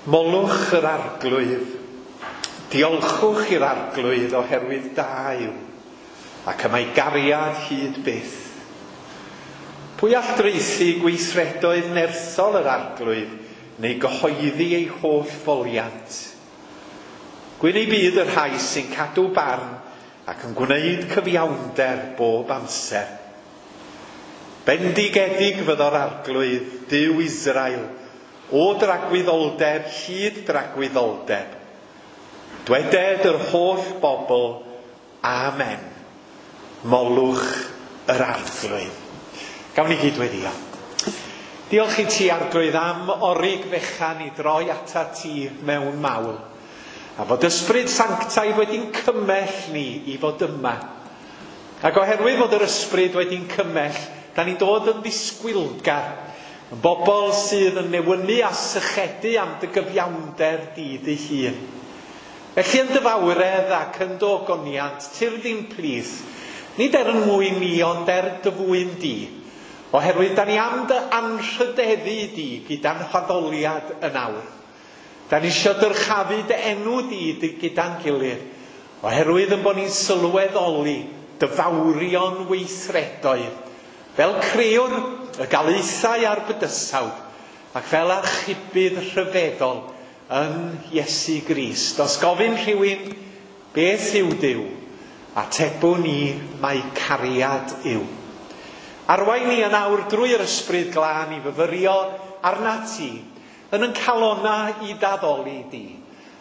Molwch yr Arglwydd, diolchwch i'r Arglwydd oherwydd da yw, ac y mae gariad hyd byth. Pwy all draethu gweithredoedd nerthol yr Arglwydd neu gyhoeddi ei holl foliant? Gwyn ei byd y rhai sy'n cadw barn ac yn gwneud cyfiawnder bob amser. Bendigedig fyddo'r Arglwydd, Duw Israel, o dragwyddoldeb hyd dragwyddoldeb. Dweded yr holl bobl, Amen. Molwch yr Arglwydd. Gawn ni gyd weddïo. Diolch i ti, Arglwydd, am orig fechan i droi atat ti mewn mawl, a fod Ysbryd Sanctaidd wedi'n cymell ni i fod yma. Ac oherwydd fod yr Ysbryd wedi'n cymell, da ni'n dod yn ddisgwylgar, yn bobl sydd yn newynu a sychedu am dy gyfiawnder di dy hun. Felly yn dy fawredd ac yn dy ogoniant, tyrd i'n plith, nid er yn mwyn ni, ond er dy fwyn di, oherwydd da ni am dy anrhydeddu di gyda'n haddoliad yn awr. Da ni isio dyrchafu dy enw di gyda'n gilydd, oherwydd yn bod ni'n sylweddoli dy fawrion weithredoedd, fel crëwr y galaethau a'r bydysawd, ac fel archebydd rhyfeddol yn Iesu Grist. Os gofyn rhywun beth yw Duw, atebwn ni mai cariad yw. Arwain ni yn awr drwy'r Ysbryd Glân i fyfyrio arnat ti, yn yn calonnau i d'addoli di,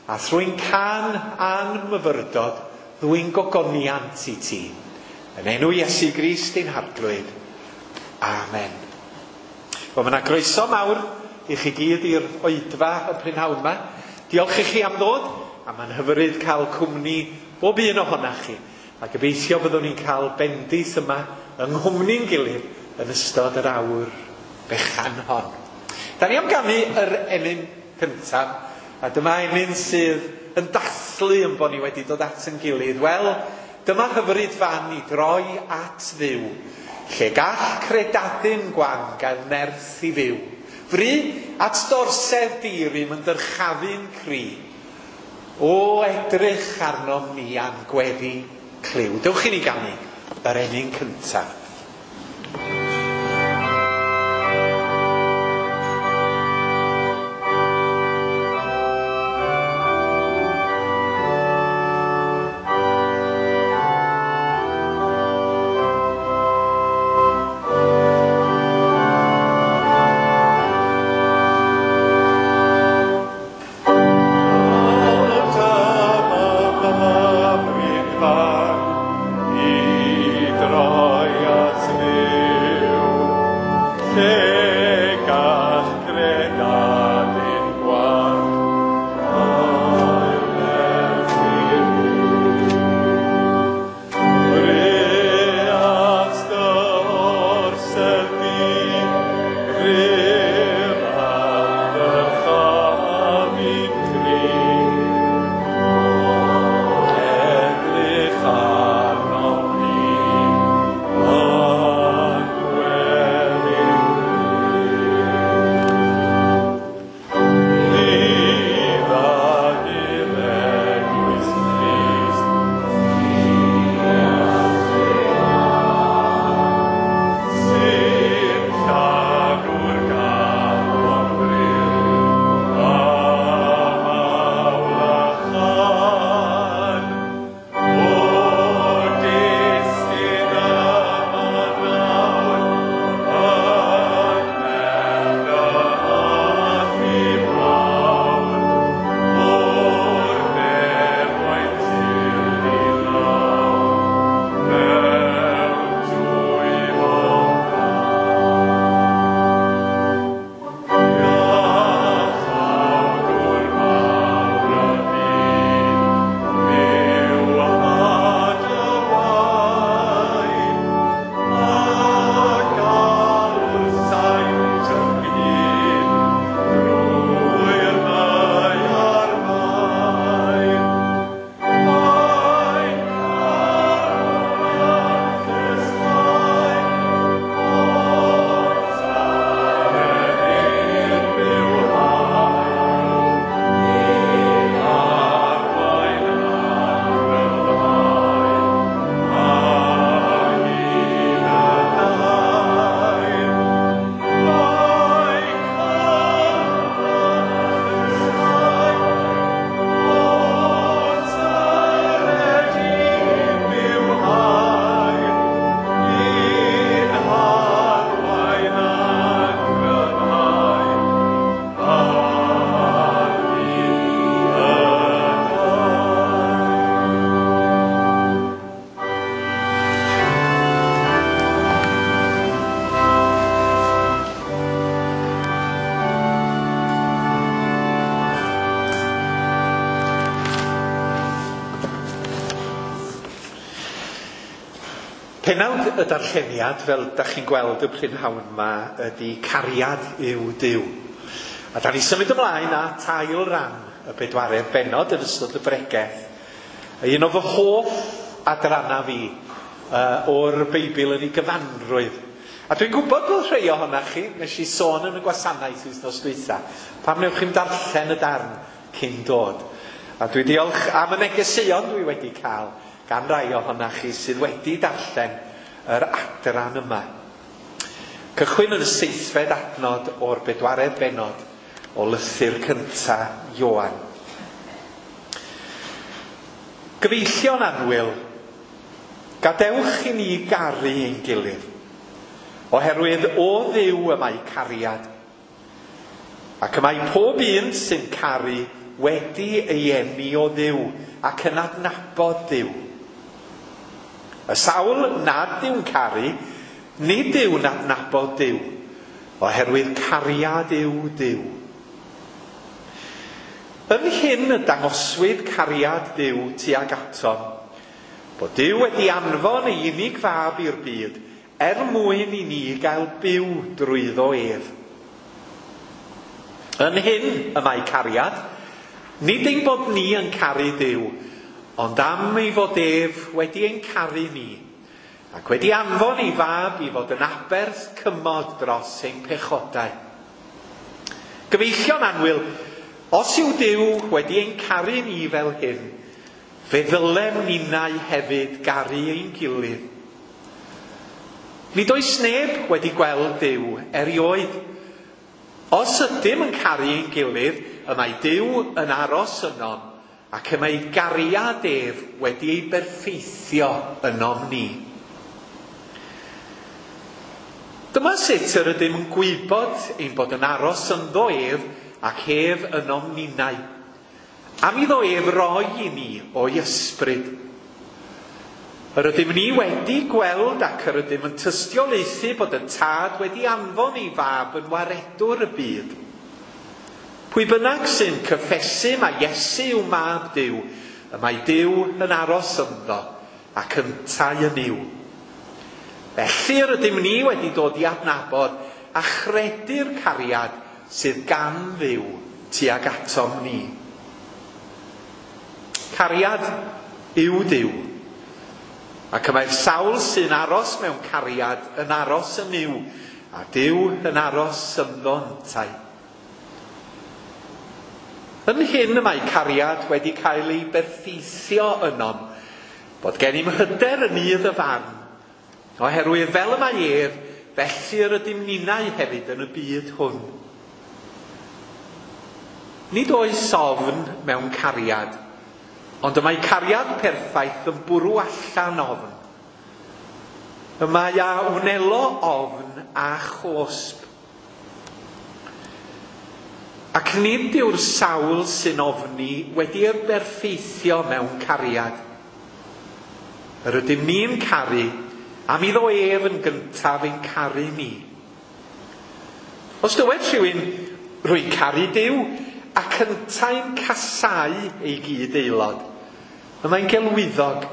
a thrwy'n cân a'n myfyrdod ddwyn gogoniant i ti. Yn enw Iesu Grist ein Harglwydd. Amen. Wel, mae yna groeso mawr i chi gyd i'r oedfa y prynhawn yma. Diolch i chi am ddod, a mae'n hyfryd cael cwmni bob un ohonach chi. A gobeithio byddwn ni'n cael bendith yma yng nghwmni'n gilydd yn ystod yr awr fechan hon. Da ni am ganu yr emyn cyntaf, a dyma emyn sydd yn dathlu yn bod ni wedi dod at yn gilydd. Wel, dyma hyfryd fan i droi at Dduw, lle gall credadun gwan gael nerth i fyw. Fry at dorsedd di-rym yn dyrchafu'n cri. O edrych arnom ni a'n gweddi clyw. Dewch i ni ganu yr emyn cyntaf. I droi at Dduw. Penawd y darlleniad, fel da chi'n gweld y prynhawn yma, ydy Cariad yw Duw. A da ni symud ymlaen at ail ran y bedwaredd bennod yn ystod y bregeth. Un o fy hoff adrannau fi o'r Beibl yn ei gyfanrwydd. A dwi'n gwybod bod rhai ohonoch chi, nes i sôn yn y gwasanaeth wythnos dwytha, pam newch chi'm darllen y darn cyn dod. A dwi diolch am y negeseuon dwi wedi cael gan rai ohonoch chi sydd wedi darllen yr adran yma. Cychwyn yn y seithfed adnod o'r bedwaredd bennod o lythyr cynta Ioan. Gyfeillion annwyl, gadewch i ni garu ein gilydd, oherwydd o Dduw y mae cariad, ac y mae pob un sy'n caru wedi ei eni o Dduw ac yn adnabod Duw. Y sawl nad yw'n caru, nid yw'n adnabod Duw, oherwydd cariad yw Duw. Yn hyn y dangoswyd cariad Duw tuag atom, bod Duw wedi anfon ei unig fab i'r byd er mwyn i ni gael byw drwyddo ef. Yn hyn y mae cariad, nid ein bod ni yn caru Duw, ond am ei fod ef wedi ein caru ni, ac wedi anfon ei fab i fod yn aberth cymod dros ein pechodau. Gyfeillion annwyl, os yw Duw wedi ein caru ni fel hyn, fe ddylem ninnau hefyd garu ein gilydd. Nid oes neb wedi gweld Duw erioed. Os ydym yn caru ein gilydd, y mae Duw yn aros ynom, ac y mae gariad ef wedi ei berffeithio ynom ni. Dyma sut yr ydym yn gwybod ein bod yn aros ynddo ef ac ef ynom ninnau, am iddo ef roi i ni o'i ysbryd. Yr ydym ni wedi gweld ac yr ydym yn tystiolaethu bod y Tad wedi anfon ei fab yn waredwr y byd. Pwy bynnag sy'n cyffesu mae Iesu yw mab Duw, y mae Duw yn aros ynddo ac yntau yn yw. Felly yr ydym ni wedi dod i adnabod a chredu'r cariad sydd gan Dduw tuag atom ni. Cariad yw Duw, ac y mae'r sawl sy'n aros mewn cariad yn aros yn Nuw, a Duw yn aros ynddo yntau. Yn hyn y mae cariad wedi cael ei berffeithio ynom, bod gennym hyder yn nydd y farn, oherwydd fel y mae ef, felly yr ydym ninnau hefyd yn y byd hwn. Nid oes ofn mewn cariad, ond y mae cariad perffaith yn bwrw allan ofn. Y mae a wnelo ofn a chosb. Ac nid yw'r sawl sy'n ofni wedi ei berffeithio mewn cariad. Yr ydym ni'n caru, am iddo ef yn gyntaf ein caru ni. Os dywed rhywun, rwy'n caru Duw, ac yntau'n casáu ei gyd aelod, y mae'n gelwyddog,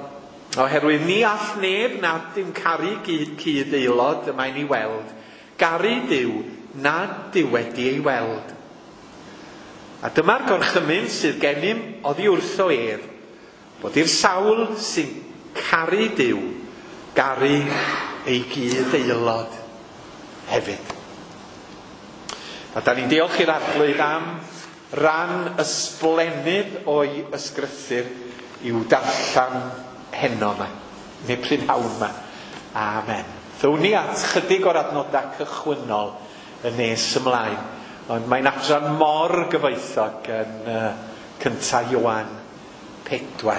oherwydd ni all neb nad yw'n caru cyd aelod y mae'n ei weld, garu Duw nad yw wedi ei weld. A dyma'r gorchymyn sydd gennym oddi wrtho ef, bod i'r sawl sy'n caru Duw garu ei gyd aelod hefyd. A da ni'n diolch i'r Arglwydd am ran ysblennydd o'i ysgrythur i'w darllen heno yma, neu prynhawn yma. Amen. Ddown ni at chydig o'r adnodau cychwynnol yn nes ymlaen, ond mae'n adran mor gyfoethog yn cynta Ioan 4.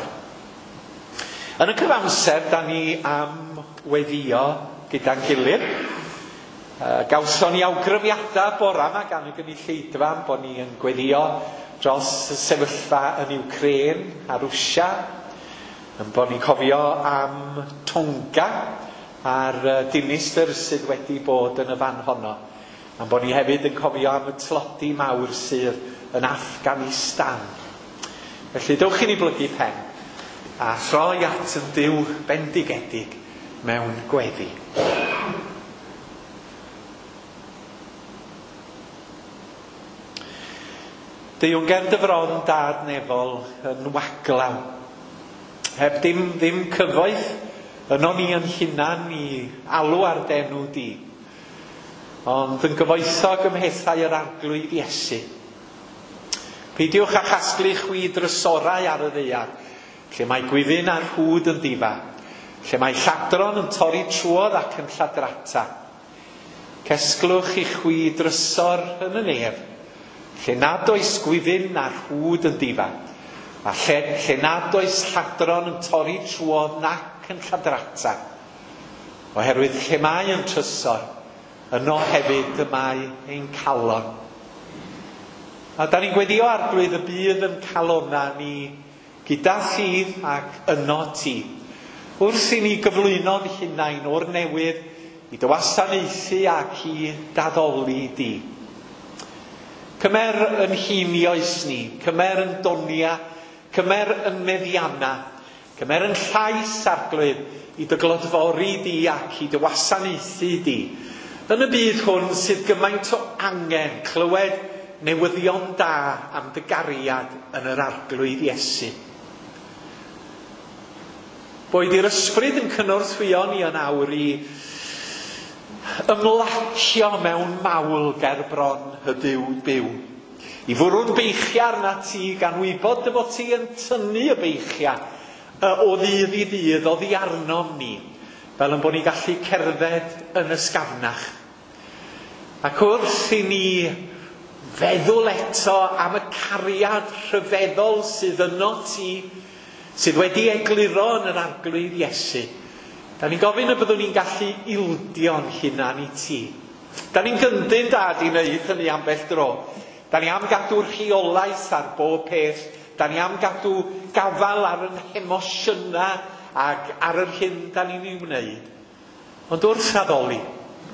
Yn y cyfamser, da ni am weddio gyda'n gilydd. Gawson ni awgrymiadau bora yma gan y gynulleidfa am bod ni yn gweddio dros y sefyllfa yn Ukraine a Rwsia, yn bod ni'n cofio am Tonga a'r dinistr sydd wedi bod yn y fan honno, am bod ni hefyd yn cofio am y tlodi mawr sydd yn Afghanistan. Felly dewch i ni blygu pen a throi at yn Duw bendigedig mewn gweddi. Deuwn ger dy fron dad nefol yn waglaw. Heb dim, ddim cyfoeth yno ni yn hunan i alw ar d'enw di. Ond yn gyfoethog ym mhethau yr Arglwydd Iesu. Peidiwch â chasglu chwi drysorau ar y ddaear, lle mae gwyfyn a rhwd yn difa, lle mae lladron yn torri trwodd ac yn lladrata. Cesglwch i chwi drysor yn y nef, lle nad oes gwyfyn na rhwd yn difa, a lle, lle nad oes lladron yn torri trwodd nac yn lladrata. Oherwydd lle mae yn trysor, yno hefyd y mae ein calon. A da ni'n gweddio Arglwydd y bydd yn calona ni gyda ffydd ac yno ti. Wrth i ni gyflwyno'n hunain o'r newydd i dy wasanaethu ac i daddoli di. Cymer yn hinioes ni, cymer yn donia, cymer yn meddianna, cymer yn llais Arglwydd i dy glodfori di ac i dy wasanaethu di. Yn y byd hwn sydd gymaint o angen clywed newyddion da am dy gariad yn yr Arglwydd Iesu. Boed i'r ysbryd yn cynorthwyo ni yn awr i ymlacio mewn mawl ger bron y Duw byw. I fwrw'n beichiau arna ti gan wybod dy fod ti yn tynnu y beichiau o ddydd i ddydd oddi arnom ni, fel yn bod ni'n gallu cerdded yn ysgafnach. Ac wrth i ni feddwl eto am y cariad rhyfeddol sydd yno ti, sydd wedi egluro yn yr Arglwydd Iesu, da ni'n gofyn y byddwn ni'n gallu ildio'n hunan i ti. Da ni'n gyndyn dad i wneud hynny ambell dro. Da ni am gadw rheolaeth ar bob peth. Da ni am gadw gafal ar yn hemosiynau ac ar yr hyn da ni'n ei wneud. Ond wrth addoli,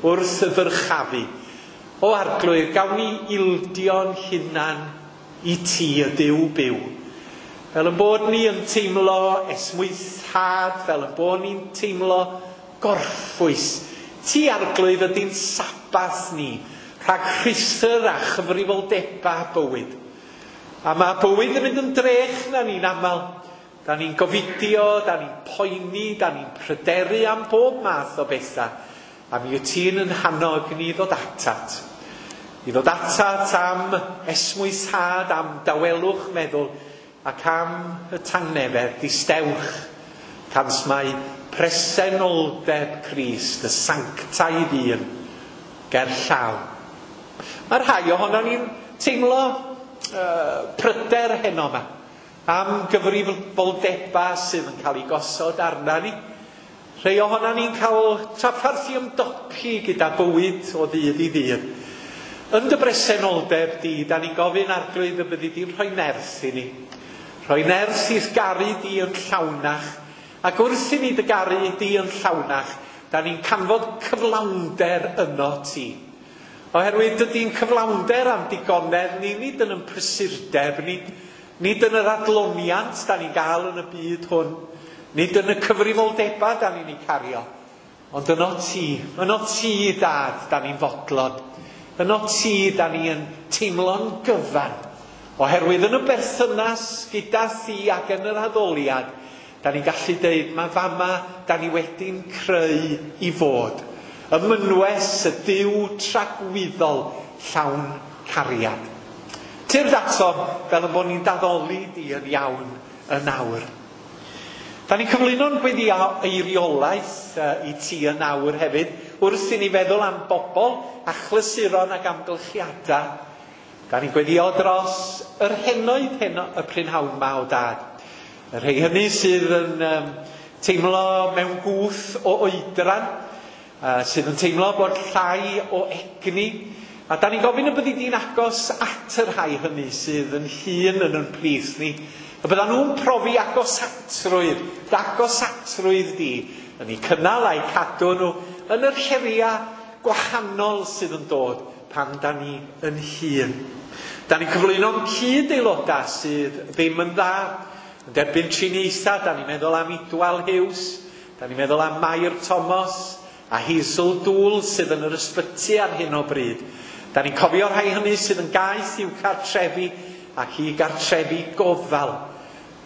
wrth y ddyrchafu, o Arglwydd, gawn ni ildio'n hunan i ti y Duw byw. Fel yn bod ni yn teimlo esmwythad, fel yn bod ni'n teimlo gorffwys. Ti, Arglwydd, ydy'n Sabath ni, rhag rhuthr a chyfrifoldebau bywyd. A mae bywyd yn mynd yn drech na ni'n aml. Da ni'n gofidio, da ni'n poeni, da ni'n pryderu am bob math o bethau. A mi wyt ti'n yn hannog ni ddod atat. I ddod atat am esmwythad, am dawelwch meddwl, ac am y tangnefedd distewch, cans mae presenoldeb Crist, y sanctaidd un, ger llaw. Mae rhai ohono ni'n teimlo pryder heno yma am gyfrifoldebau sydd yn cael ei gosod arna ni. Rhai ohono ni'n cael trafferth i ymdopi gyda bywyd o ddydd i ddydd. Yn dy bresenoldeb di, da ni'n gofyn Arglwydd y byddi di'n rhoi nerth i ni. Rhoi nerth i'th garu di yn llawnach. Ac wrth i ni dy garu di yn llawnach, da ni'n canfod cyflawnder yno ti. Oherwydd dydy'n cyflawnder am digonedd ni, nid yn yn prysurdeb ni, nid yn yr adloniant da ni'n gael yn y byd hwn, nid yn y cyfrifoldebau da ni'n ei cario, ond yno ti, Dad, da ni'n fodlon. Yno ti, da ni yn teimlo'n gyfan. Oherwydd yn y berthynas gyda thi ac yn yr addoliad, da ni'n gallu deud, mae fama da ni wedi'n creu i fod. Y mynwes, y Duw tragwyddol llawn cariad. Tyrd ato fel y bod ni'n daddoli di yn iawn yn awr. Da ni'n cyflwyno'n gweddi eiriolaeth i ti yn awr hefyd, wrth i ni feddwl am bobl, achlysuron ac amgylchiadau. Da ni'n gweddio dros yr henoed heno, y prynhawn ma o Dad. Y rhai hynny sydd yn teimlo mewn gwth o oedran, sydd yn teimlo bod llai o egni. A da ni'n gofyn y byddi di'n agos at y rhai hynny sydd yn hŷn yn yn plith ni. Y byddan nhw'n profi agosatrwydd, agosatrwydd di, yn eu cynnal a'u cadw nhw yn yr heriau gwahanol sydd yn dod pan da ni yn hŷn. Da ni'n cyflwyno'n cyd-aelodau sydd ddim yn dda, yn derbyn triniaethau, da ni'n meddwl am Idwal Hughes, Da ni'n meddwl am Mair Thomas a Hazel Dŵl sydd yn yr ysbyty ar hyn o bryd. Da ni'n cofio rhai hynny sydd yn gaeth i'w cartrefi ac i gartrefi gofal.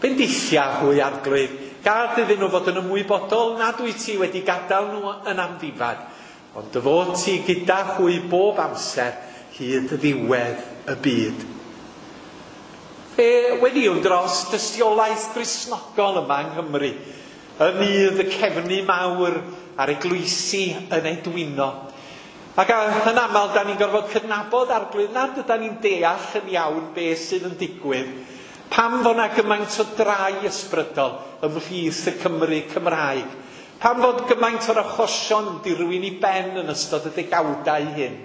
Bendithia hwy Arglwydd, gad iddyn nhw fod yn ymwybodol nad wyt ti wedi gadael nhw yn amddifad, ond dy fod ti gyda hwy bob amser hyd ddiwedd y byd. Fe weddïwn dros dystiolaeth Gristnogol yma yng Nghymru, yn nydd y cefnu mawr a'r eglwysi yn edwino. Ac yn aml, da ni'n gorfod cydnabod Arglwydd nad yda ni'n deall yn iawn beth sydd yn digwydd. Pam fod 'na gymaint o drai ysbrydol ymhlith y Cymry Cymraeg? Pam fod gymaint o'r achosion yn dirwyn i ben yn ystod y degawdau hyn?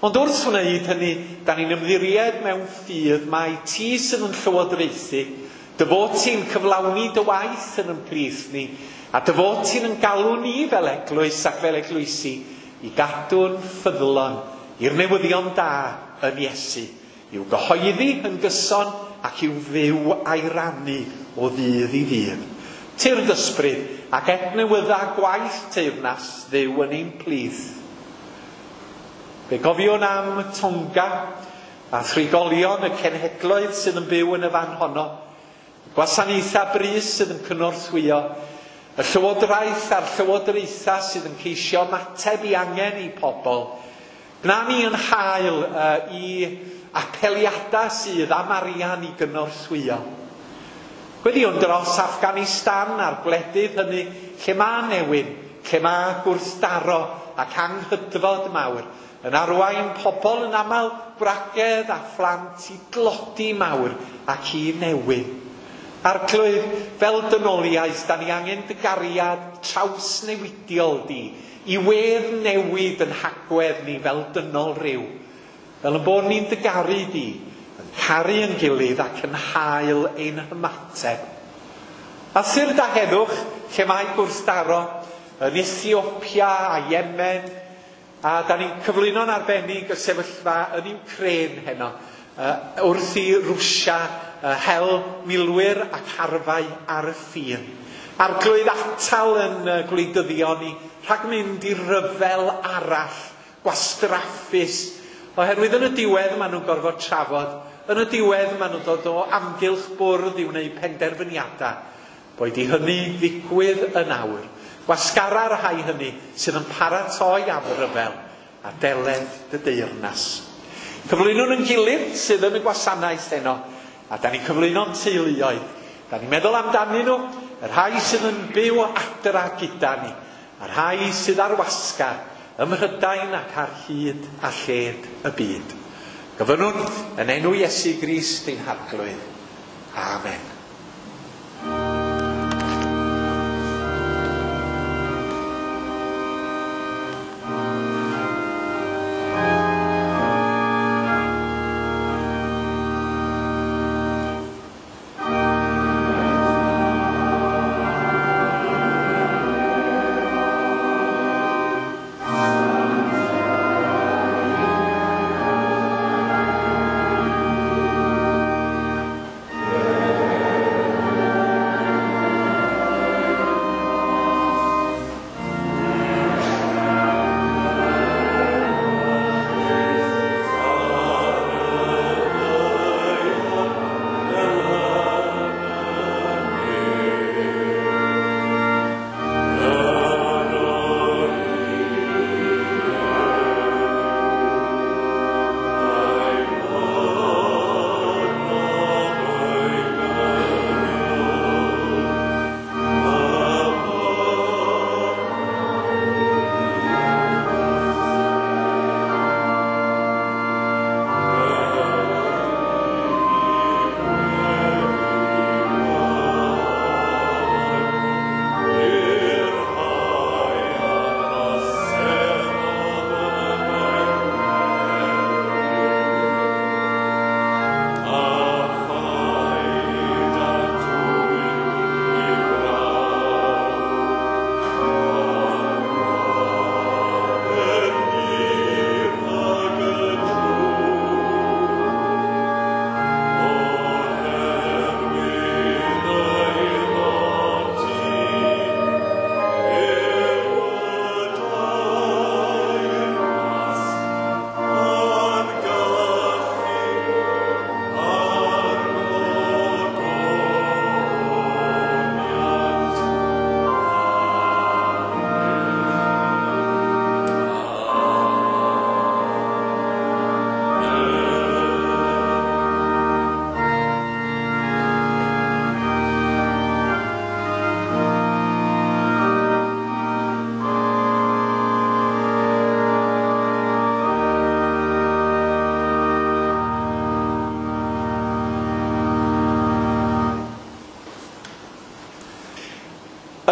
Ond wrth wneud hynny, da ni'n ymddiried mewn ffydd mai ti sydd yn llywodraethu, dy fod ti'n cyflawni dy waith yn ein plith ni, a dy fod ti'n yn galw ni fel eglwys ac fel eglwysi i gadw'n ffyddlon i'r newyddion da yn Iesu, i'w gyhoeddi yn gyson ac i'w fyw a'i rannu o ddydd i ddydd. Tyrd ysbryd ac adnewydda gwaith teyrnas Dduw yn ein plith. Fe gofiwn am Tonga a thrigolion y cenhedloedd sydd yn byw yn y fan honno, y gwasanaethau brys sydd yn cynorthwyo, y llywodraeth a'r llywodraethau sydd yn ceisio ymateb i angen eu pobl. Gwna ni yn hael i apeliadau sydd am arian i gynorthwyo. Gweddïwn dros Afghanistan a'r gwledydd hynny lle mae newyn, lle mae gwrthdaro ac anghydfod mawr, yn arwain pobl yn aml gwragedd a phlant i dlodi mawr ac i newyn. Arglwydd, fel dynoliaeth, da ni angen dy gariad trawsnewidiol di, i wedd newid yn hagwedd ni fel dynol rhyw. Fel yn bod ni'n dy garu di, yn caru yn gilydd ac yn hael ein hymateb. A tyrd â heddwch, lle mae gwrthdaro, yn Ethiopia a Yemen, a da ni'n cyflwyno'n arbennig y sefyllfa yn Ukraine heno, wrth i Rwsia hel milwyr ac arfau ar y ffin. Arglwydd, atal yn gwleidyddion ni rhag mynd i ryfel arall, gwastraffus, oherwydd yn y diwedd maen nhw'n gorfod trafod, yn y diwedd maen nhw'n dod o amgylch bwrdd i wneud penderfyniadau. Boed i hynny ddigwydd yn awr. Gwasgara'r rhai hynny sydd yn paratoi am ryfel a deled dy deyrnas. Cyflwynwn yn gilydd sydd yn y gwasanaeth heno, a da ni'n cyflwyno'n teuluoedd. Da ni'n meddwl amdanyn nhw, y rhai sydd yn byw adra gyda ni, a'r rhai sydd ar wasgar, ym Mhrydain ac ar hyd a lled y byd. Gofynnwn yn enw Iesu Grist ein Harglwydd. Amen.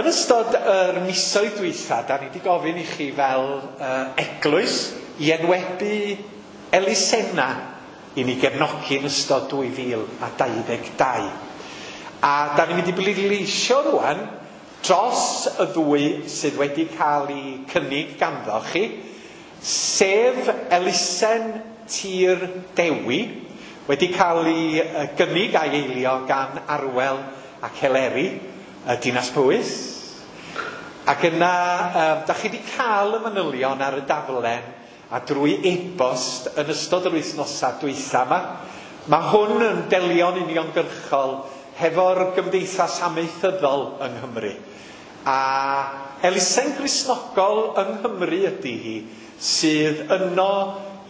Yn ystod yr misoedd dwytha, da ni wedi gofyn i chi fel eglwys i enwebu elusenna i ni gefnogi yn ystod 2022. A da ni'n mynd i bleidleisio rwan dros y ddwy sydd wedi cael ei cynnig ganddo chi, sef elusen Tir Dewi, wedi cael ei gynnig a'i eilio gan Arwel ac Eleri, y Dinas Powys. Ac yna, da chi wedi cael y manylion ar y daflen a drwy e-bost yn ystod yr wythnosau dwytha yma. Mae hwn yn delio'n uniongyrchol hefo'r gymdeithas amaethyddol yng Nghymru. A elusen Gristnogol yng Nghymru ydy hi, sydd yno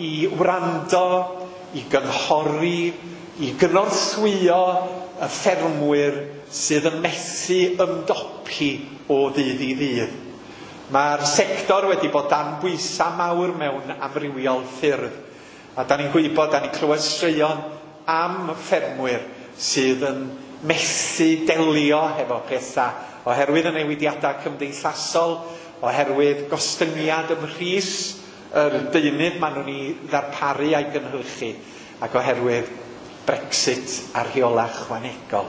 i wrando, i gynghori, i gynorthwyo y ffermwyr sydd yn methu ymdopi o ddydd i ddydd. Mae'r sector wedi bod dan bwysau mawr mewn amrywiol ffyrdd. A da ni'n gwybod, da ni'n clywed straeon am ffermwyr sydd yn methu delio hefo pethau oherwydd y newidiadau cymdeithasol, oherwydd gostyngiad ym mhris yr deunydd maen nhw'n ei ddarparu a'i gynhyrchu, ac oherwydd Brexit a'r rheolau ychwanegol.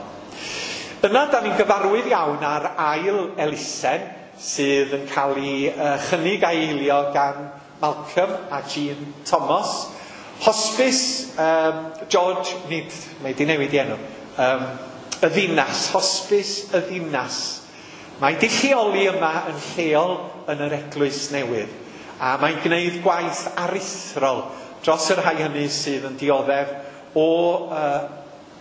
Yna, da ni'n gyfarwydd iawn ar ail elusen sydd yn cael ei chynnig a'i eilio gan Malcolm a Jean Thomas. Hospice, George, nid, mae di newid i enw, y ddinas, Hospice y ddinas. Mae di lleoli yma yn lleol yn yr eglwys newydd, a mae'n gwneud gwaith aruthrol dros y rhai hynny sydd yn dioddef o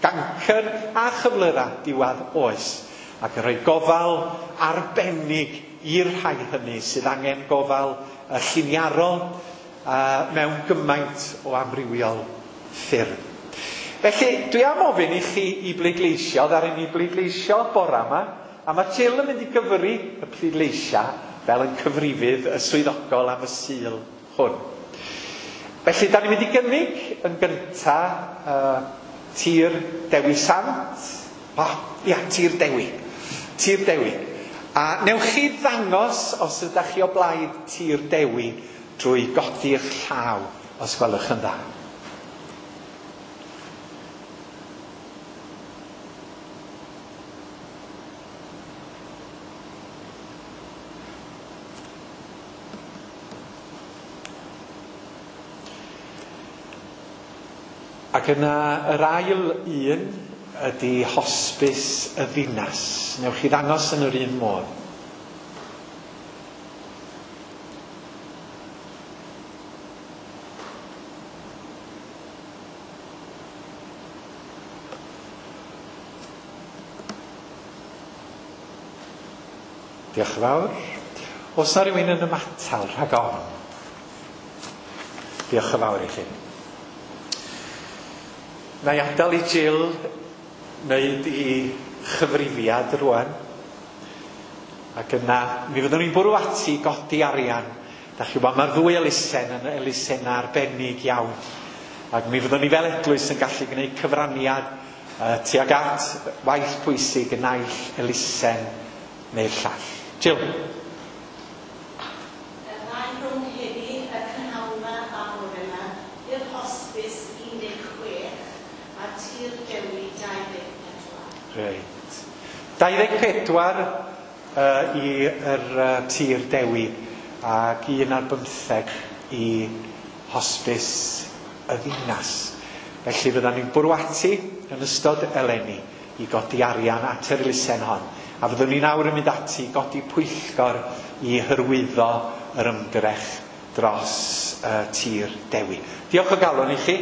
gancr a chyflyrau diwedd oes, ac yn rhoi gofal arbennig i'r rhai hynny sydd angen gofal lliniarol mewn gymaint o amrywiol ffyrdd. Felly, dwi am ofyn i chi i bleidleisio, ddaru ni bleidleisio bora yma, a mae Jill yn mynd i gyfri y pleidleisiau fel yn cyfrifydd y swyddogol am y Sul hwn. Felly, da ni'n mynd i gynnig yn gynta Tir Dewi Sant. Ia, Tir Dewi. Tir Dewi. A newch chi ddangos os ydych chi o blaid Tir Dewi drwy godi eich llaw, os gwelwch yn dda. Ac yna yr ail un ydy Hospice y Ddinas. Newch chi ddangos yn yr un modd. Diolch yn fawr. Oes na rywun yn ymatal rhag ofn? Diolch yn fawr i chi. Na i adael i Jill wneud i chyfrifiad rwan. Ac yna, mi fyddwn ni'n bwrw ati godi arian. Da chi wybod, mae'r ddwy elusen yn elusennau arbennig iawn. Ac mi fyddwn ni fel eglwys yn gallu gwneud cyfraniad tuag at waith pwysig y naill elusen neu'r llall. Jill. Y ddau rhwng heddi, y prynhawn 'ma a bore 'ma, i'r Hospice 16 a Tir Dewi 24. Reit. 24 i'r Tir Dewi ac 1 ar 15 i Hospice y Ddinas. Felly fyddan ni'n bwrw ati yn ystod eleni i godi arian at yr elusen hon. A fyddwn ni nawr yn mynd ati i godi pwyllgor i hyrwyddo yr ymdrech dros Tir Dewi. Diolch o galon i chi,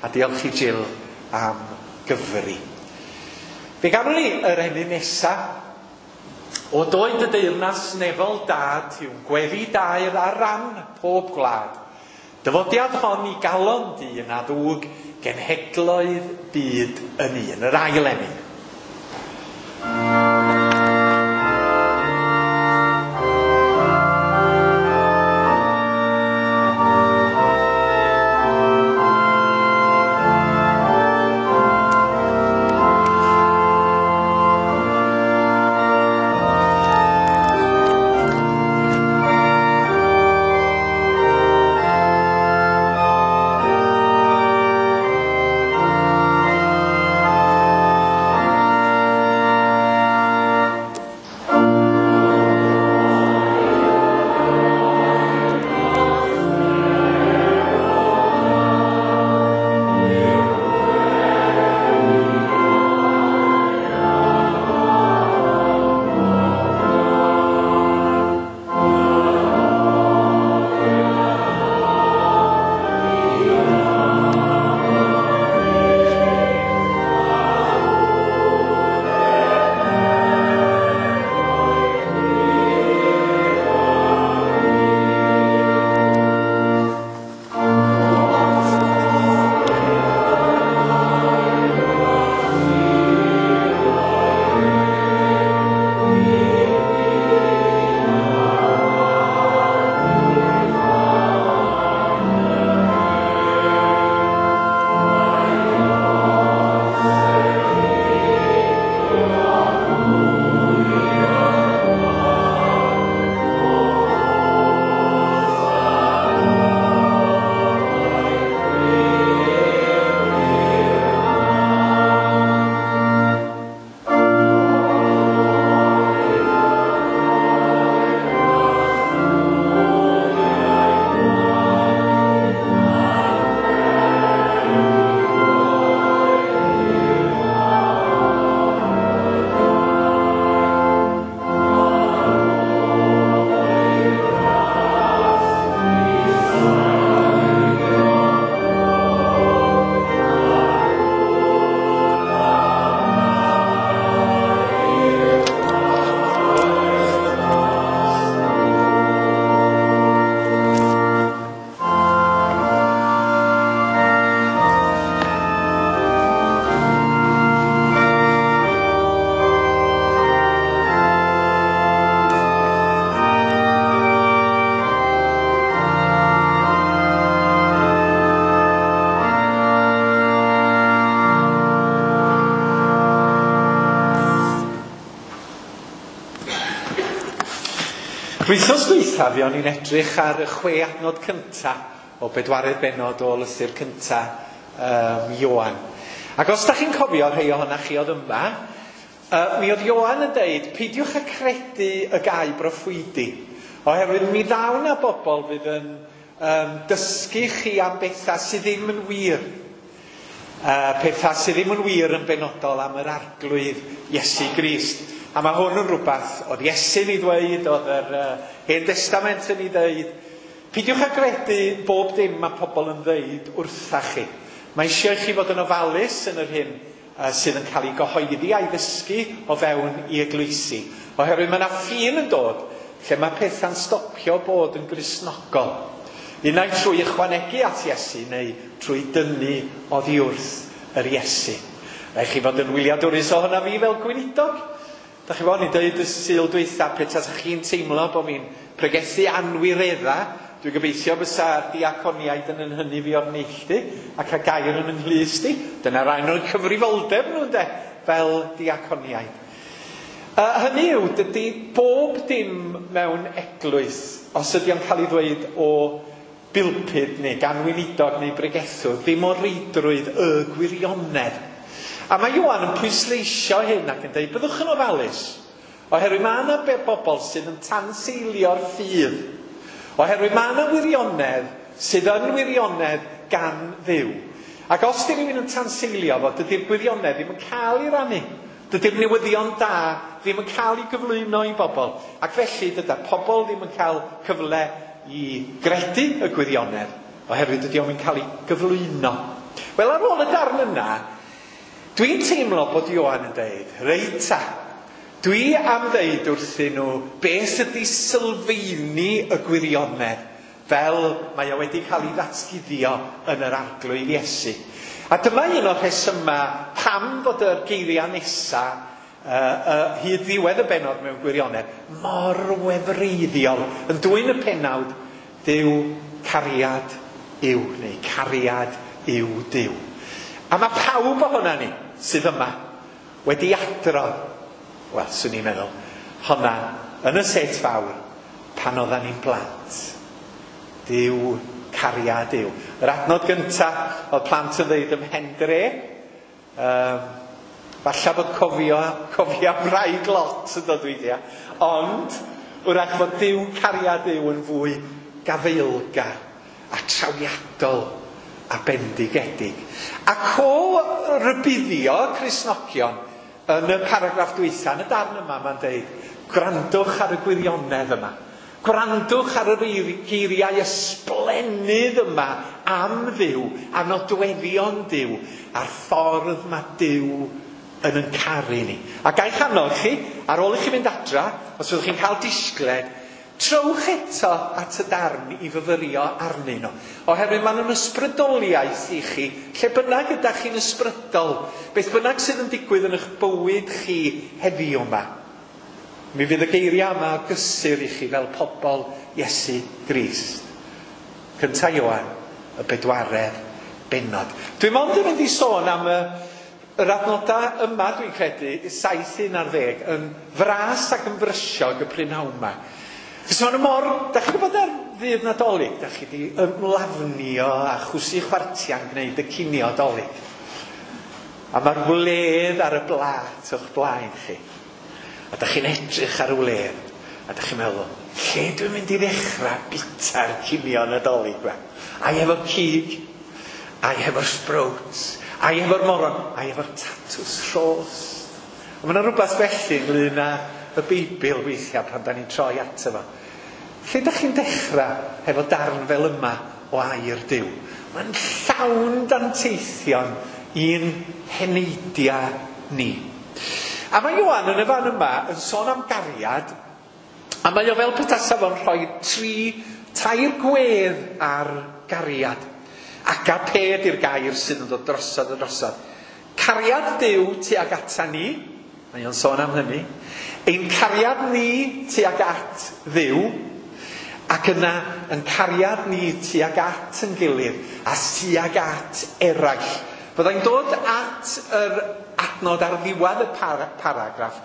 a diolch i Jill am gyfri. Fe gawn ni yr emyn nesa. O doed y deyrnas nefol dad yw'n gweddi daer ar ran pob gwlad. Dyfodiad hon i galon dyn a ddwg genhedloedd byd yn un. Yr ail emyn. Wythnos dwytha fi o'n i'n edrych ar y 6 adnod cynta o bedwaredd bennod o lythyr cynta Ioan. Ac os da chi'n cofio rhai ohonoch chi oedd yma, mi oedd Ioan yn deud, peidiwch â credu y gau broffwydi, oherwydd mi ddaw 'na bobl fydd yn dysgu chi am bethau sydd ddim yn wir. Pethau sydd ddim yn wir yn benodol am yr Arglwydd Iesu Grist. A mae hwn yn rhywbeth oedd Iesu'n ei ddweud, oedd yr Hen Destament yn ei ddweud. Peidiwch â gredu bob dim mae pobl yn ddeud wrtha chi. Mae eisiau i chi fod yn ofalus yn yr hyn sydd yn cael ei gyhoeddi a'i ddysgu o fewn i eglwysi. Oherwydd mae yna ffin yn dod lle mae pethau'n stopio bod yn Gristnogol. Unai trwy ychwanegu at Iesu neu trwy dynnu oddi wrth yr Iesu. Rhaid chi fod yn wyliadwrus ohono fi fel gweinidog. Da chi fod, ni'n dweud y Sul dwytha, petasach chi'n teimlo bod fi'n pregethu anwiredda, dwi'n gobeithio bysa'r diaconiaid yn hynny fi o'r neilltu ac a gair yn ynghlust i. Dyna rhan o'r cyfrifoldeb nhw, ynde, fel diaconiaid. Hynny yw, dydy bob dim mewn eglwys, os ydy o'n cael ei ddweud o bilpud neu gan weinidog neu bregethwr, ddim o reidrwydd y gwirionedd. A mae Ioan yn pwysleisio hyn ac yn dweud, byddwch yn ofalus, oherwydd mae yna bobl sydd yn tanseilio'r ffydd. Oherwydd mae yna wirionedd sydd yn wirionedd gan Dduw. Ac os di rhywun yn tanseilio fo, dydy'r gwirionedd ddim yn cael ei rannu. Dydy'r newyddion da ddim yn cael ei gyflwyno i bobl. Ac felly dydy'r pobl ddim yn cael cyfle i gredu y gwirionedd, oherwydd dydy o'm yn cael ei gyflwyno. Wel, ar ôl y darn yna, dwi'n teimlo bod Ioan yn dweud, reit ta, dwi am ddeud wrthyn nhw beth ydy sylfeini y gwirionedd, fel mae o wedi cael ei ddatguddio yn yr Arglwydd Iesu. A dyma un o'r rhesymau pam fod yr geiriau nesa hyd ddiwedd y bennod mewn gwirionedd mor wefreiddiol, yn dwyn y pennawd Duw cariad yw, neu cariad yw Duw. A mae pawb ohona ni sydd yma wedi adrodd, wel, swn i'n meddwl, honna yn y set fawr pan oeddan ni'n blant. Duw cariad yw. Yr adnod gynta oedd plant yn dweud ym Mhendre. Falle bod cofio am wraig Lot yn dod weithiau, ond wrach fod Duw cariad yw yn fwy gafaelgar a trawiadol a bendigedig. Ac o rybuddio Cristnogion yn y paragraff dwytha, yn y darn yma, mae'n dweud, gwrandwch ar y gwirionedd yma. Gwrandwch ar yr geiriau ysblennydd yma am Dduw, a nodweddion Duw, a'r ffordd mae Duw yn yn caru ni. A ga'i annog chi, ar ôl i chi fynd adra, os fyddwch chi'n cael disgled, trowch eto at y darn i fyfyrio arnyn nhw. Oherwydd maen nhw'n ysbrydoliaeth i chi, lle bynnag ydych chi'n ysbrydol, beth bynnag sydd yn digwydd yn eich bywyd chi heddiw yma. Mi fydd y geiriau yma o gysur i chi fel pobl Iesu Grist. Cynta Ioan, y bedwaredd bennod. Dwi'n mond yn mynd i sôn am yr adnodau yma, dwi'n credu, 7, 11, yn fras ac yn frysiog y prynhawn yma. Cos maen nhw mor, da chi'n gwybod ar ddydd Nadolig, da chi wedi ymlafnio a chwsu chwartiau'n gwneud y cinio Dolig. A mae'r wledd ar y blat o'ch blaen chi. A da chi'n edrych ar y wledd, a da chi'n meddwl, lle dwi'n mynd i ddechrau bita'r cinio Nadolig yma? Ai efo'r cig, ai efo'r sprouts, ai efo'r moron, ai efo'r tatws rhos. A mae yna rhywbeth felly ynglyn â y Beibl weithiau pan da ni'n troi ato fo. Lle da chi'n dechrau hefo darn fel yma o air Duw? Mae'n llawn danteithion i'n heneidiau ni. A mae Ioan yn y fan yma yn sôn am gariad, a mae o fel petasa fo'n rhoi tair gwedd ar gariad. Agape ydy'r gair sydd yn dod drosodd a drosodd. Cariad Duw tuag ata ni, mae o'n sôn am hynny. Ein cariad ni tuag at Dduw, ac yna yn cariad ni tuag at yn gilydd a tuag at eraill. Byddai'n dod at yr adnod ar ddiwedd y paragraff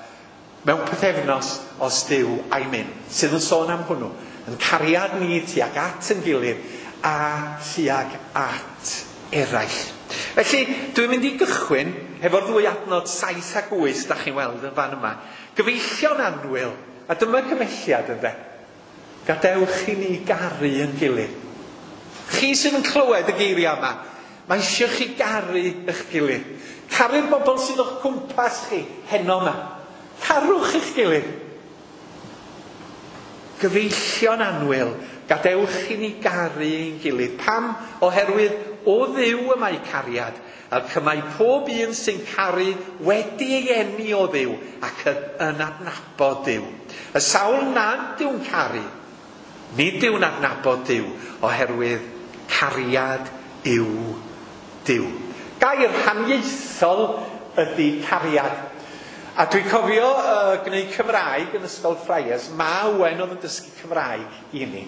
Mewn pythefnos os Duw a'i myn, sydd yn sôn am hwnnw. Yn cariad ni tuag at yn gilydd a tuag at eraill. Felly, dwi'n mynd i gychwyn hefo'r ddwy adnod 7 ac 8 da chi'n weld yn fan yma. Gyfeillion annwyl, a dyma cymelliad ynde. Gadewch i ni garu yn gilydd. Chi sydd yn clywed y geiriau yma, mae eisiau chi garu eich gilydd. Caru'r bobl sydd o'ch cwmpas chi heno yma. Carwch eich gilydd. Gyfeillion annwyl, gadewch i ni garu ein gilydd. Pam? Oherwydd o Dduw y mae cariad, ac y mae pob un sy'n caru wedi ei eni o Dduw ac yn adnabod Duw. Y sawl nad yw'n caru, nid yw'n adnabod Duw, oherwydd cariad yw Duw. Gair haniaethol ydy cariad. A dwi'n cofio gwneud Cymraeg yn Ysgol Friars, Ma Owen oedd yn dysgu Cymraeg i ni.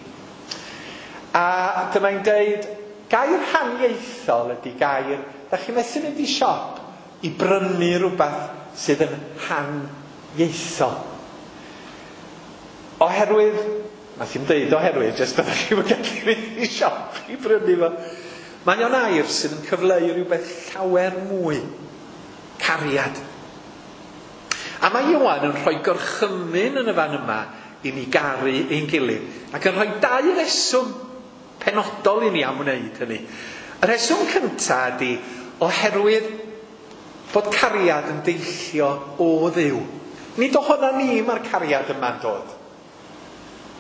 A dyma'n deud, gair haniaethol ydy gair, da chi methu mynd i siop i brynu rhywbeth sydd yn haniaethol. Oherwydd, nath hi'm deud oherwydd, jyst ydych chi'n gallu mynd i siop i brynu fo. Mae o'n air sydd yn cyfleu rhywbeth llawer mwy. Cariad. A mae Ioan yn rhoi gorchymyn yn y fan yma i ni garu ein gilydd. Ac yn rhoi dau reswm penodol i ni am wneud hynny. Y rheswm cyntaf ydy oherwydd bod cariad yn deillio o Dduw. Nid ohona ni mae'r cariad yma'n dod.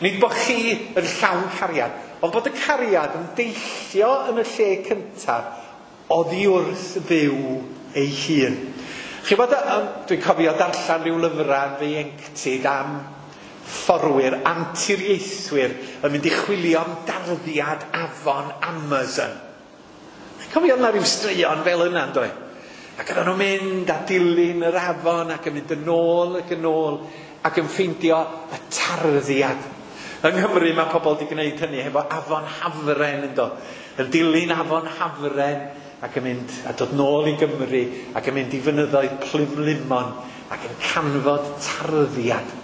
Nid bod chi yn llawn cariad, ond bod y cariad yn deillio yn y lle cyntaf oddi wrth Dduw ei hun. Chi bod, dwi'n cofio darllen rhyw lyfrau yn fy ieuenctid am fforwyr, anturiaethwyr yn mynd i chwilio am darddiad afon Amazon. Chi'n cofio yna rhyw straeon fel yna, yndo? Ac oedden nhw'n mynd a dilyn yr afon ac yn mynd yn ôl ac yn ôl ac yn ffeindio y tarddiad. Yng Nghymru mae pobl wedi gwneud hynny hefo afon Hafren, yndo? Yn dilyn afon Hafren ac yn mynd a dod nôl i Gymru ac yn mynd i fynyddoedd Plumlimon ac yn canfod tarddiad.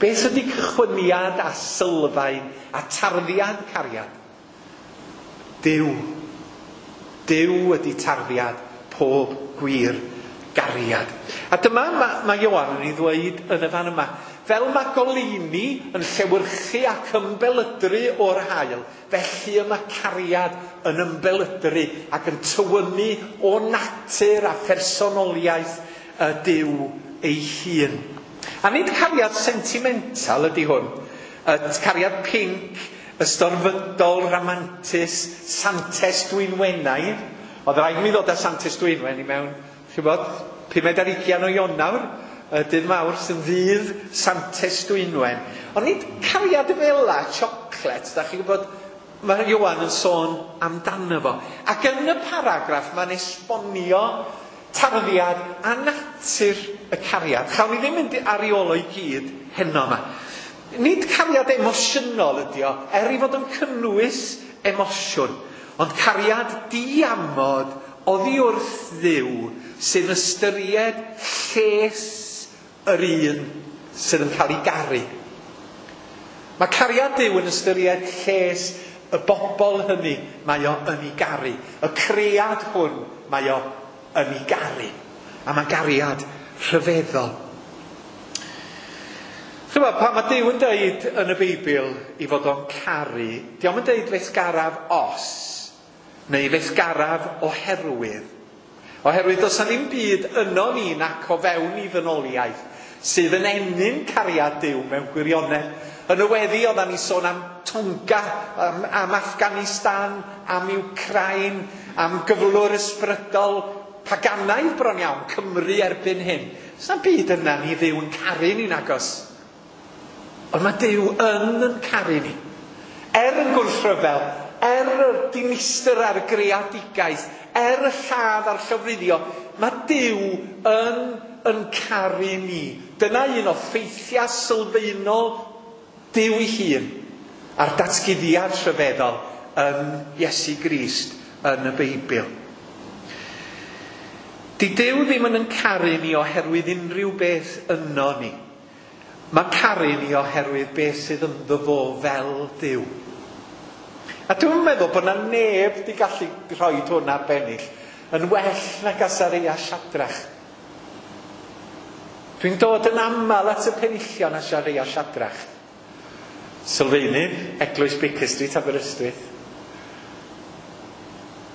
Beth ydy cychwyniad a sylfaen a tarddiad cariad? Duw. Duw ydy tarddiad pob gwir gariad. A dyma mae Ioan yn ei ddweud yn y fan yma. Fel mae goleuni yn llewyrchu ac ymbelydru o'r haul, felly y mae cariad yn ymbelydru ac yn tywynnu o natur a phersonoliaeth y Duw ei hun. A nid cariad sentimental ydy hwn. Y cariad pinc, ystorfydol, ramantus, Santes Dwynwenaidd. Oedd rhaid mi ddod â Santes Dwynwen i mewn, chi'n bod, 25 o Ionawr, y dydd Mawrth yn ddydd Santes Dwynwen. Ond nid cariad fela, chocolate, da chi'n gwybod, mae Ioan yn sôn amdano fo. Ac yn y paragraff mae'n esbonio tarddiad a natur y cariad. Chawn ni ddim mynd ar ei ôl o i gyd heno yma. Nid cariad emosiynol ydi o, er ei fod yn cynnwys emosiwn, ond cariad diamod oddi wrth Dduw sy'n ystyried lles yr un sydd yn cael ei garu. Mae cariad Duw yn ystyried lles y bobl hynny mae o yn ei garu. Y cread hwn mae o yn ei garu. A mae gariad rhyfeddol. Chymod, pan mae Duw yn deud yn y Beibl i fod o'n caru, dio'm yn deud fe'th garaf os, neu fe'th garaf oherwydd. Oherwydd does 'na ddim byd yno ni nac o fewn i ddynoliaeth sydd yn ennyn cariad Duw mewn gwirionedd. Yn y weddi oeddan ni sôn am Tonga, am Afghanistan, am Ukraine, am gyflwr ysbrydol paganaidd bron iawn, Cymru erbyn hyn. Does 'na'm byd yna ni Dduw yn caru ni'n agos. Ond mae Duw yn caru ni. Er yn gwrthryfel, er y dinistr a'r greadigaeth, er y lladd a'r llofruddio, mae Duw yn caru ni. Dyna un o ffeithiau sylfaenol Duw ei hun a'r datguddiad rhyfeddol yn Iesu Grist yn y Beibl. Di Duw ddim yn caru ni oherwydd unrhyw beth yno ni. Mae'n caru ni oherwydd beth sydd ynddo fo fel Duw. A dwi'n meddwl bod 'na neb 'di gallu rhoi hwn ar bennill yn well nag Asaria Siadrach. Dwi'n dod yn aml at y penillion Asaria Siadrach. Sylfaenydd Eglwys Baker Street, Aberystwyth.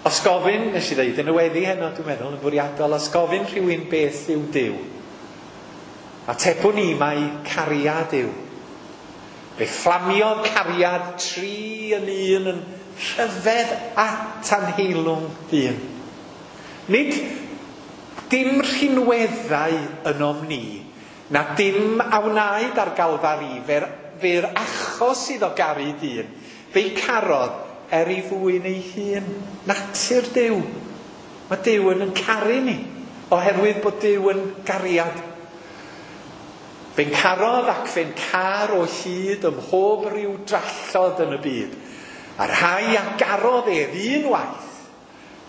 Os gofyn, nes i ddeud yn y weddi heno, dwi'n meddwl, yn fwriadol, os gofyn rhywun beth yw Duw, atebwn ni mai cariad yw. Fe fflamiodd cariad 3 yn 1 yn rhyfedd at anheilwng ddyn. Nid dim rhinweddau ynom ni, na dim a wnaed ar Galfari, fe'r achos iddo garu dyn, fe'i carodd er ei fwyn ei hun. Natur Duw. Mae Duw yn caru ni, oherwydd bod Duw yn gariad. Fe'n carodd ac fe'n car o hyd ym mhob rhyw drallod yn y byd. A'r rhai a garodd ef un waith,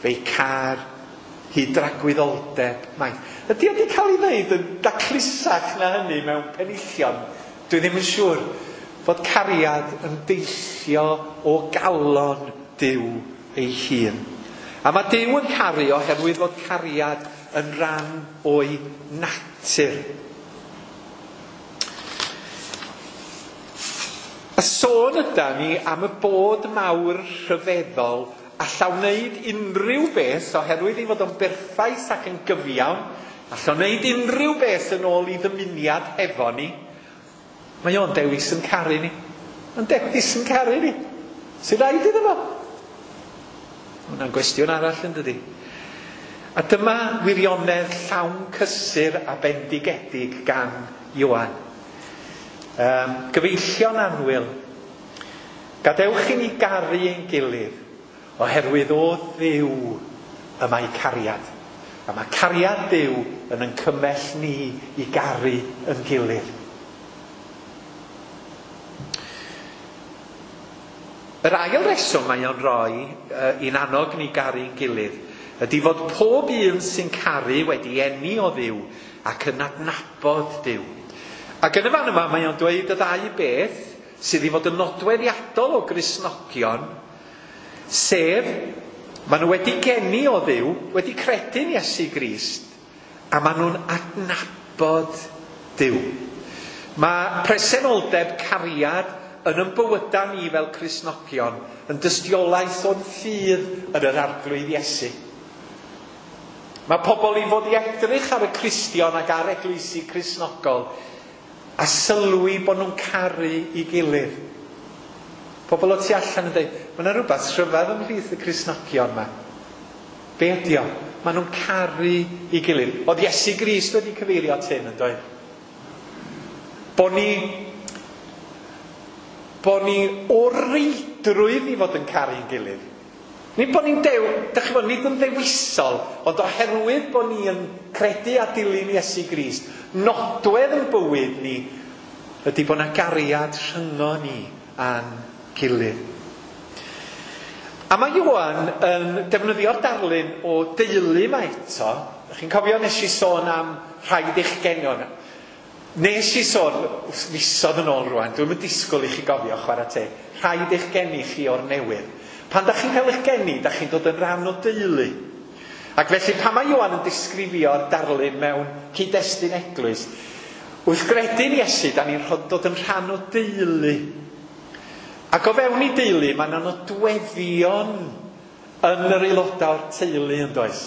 fe'i car hyd dragwyddoldeb maith. Ydy o wedi cael ei ddeud yn daclusach na hynny mewn penillion? Dwi ddim yn siŵr fod cariad yn deillio o galon Duw ei hun. A mae Duw yn caru oherwydd fod cariad yn rhan o'i natur. Y sôn yda ni am y bod mawr rhyfeddol alla wneud unrhyw beth oherwydd ei fod o'n berffaith ac yn gyfiawn, alla wneud unrhyw beth yn ôl i ddymuniad hefo ni. Mae o'n dewis yn caru ni. Mae'n dewis yn caru ni. Sy'n rhaid iddo fo? Hwnna'n gwestiwn arall yn dydi? A dyma wirionedd llawn cysur a bendigedig gan Ioan. Gyfeillion annwyl, gadewch i ni garu ein gilydd, oherwydd o Dduw y mae cariad. A mae cariad Duw yn cymell ni i garu yn gilydd. Yr ail reswm mae o'n rhoi i'n annog ni garu'n gilydd ydy fod pob un sy'n caru wedi eni o Dduw ac yn adnabod Duw. Ac yn y fan yma mae o'n dweud y ddau beth sydd i fod yn nodweddiadol o Gristnogion, sef maen nhw wedi geni o Dduw, wedi credu'n Iesu Grist, a maen nhw'n adnabod Duw. Mae presenoldeb cariad yn ymbywyda ni fel Cristnogion yn dystiolaeth o'n ffydd yn yr Arglwydd Iesu. Mae pobl i fod i edrych ar y Cristion ac ar eglwysi Cristnogol a sylwi bod nhw'n caru i gilydd. Pobl o tu allan yn dweud, mae yna rhywbeth rhyfedd ymhlith y Cristnogion yma. Be ydi o? Maen nhw'n caru i gilydd. Oedd Iesu Grist wedi cyfeirio at hyn yn dweud. Bo ni o reidrwydd i fod yn caru'n gilydd. Nid bod ni'n nid yn ddewisol, ond oherwydd bod ni yn credu a dilyn Iesu Grist, nodwedd yn bywyd ni ydy bod yna gariad rhyngo ni a'n gilydd. A mae Ioan yn defnyddio'r darlun o deulu yma eto. Chi'n cofio nes i sôn am rhaid eich genion. Nes i sôn misoedd yn ôl rwan, dwi'm yn disgwyl i chi gofio chwarae teg. Rhaid eich geni chi o'r newydd. Pan da chi'n cael eich geni, da chi'n dod yn rhan o deulu. Ac felly pan mae Ioan yn disgrifio'r darlun mewn cyd-destun eglwys, wrth gredu'n Iesu, da ni'n dod yn rhan o deulu. Ac o fewn i deulu, mae yna nodweddion yn yr aelodau o'r teulu yn does.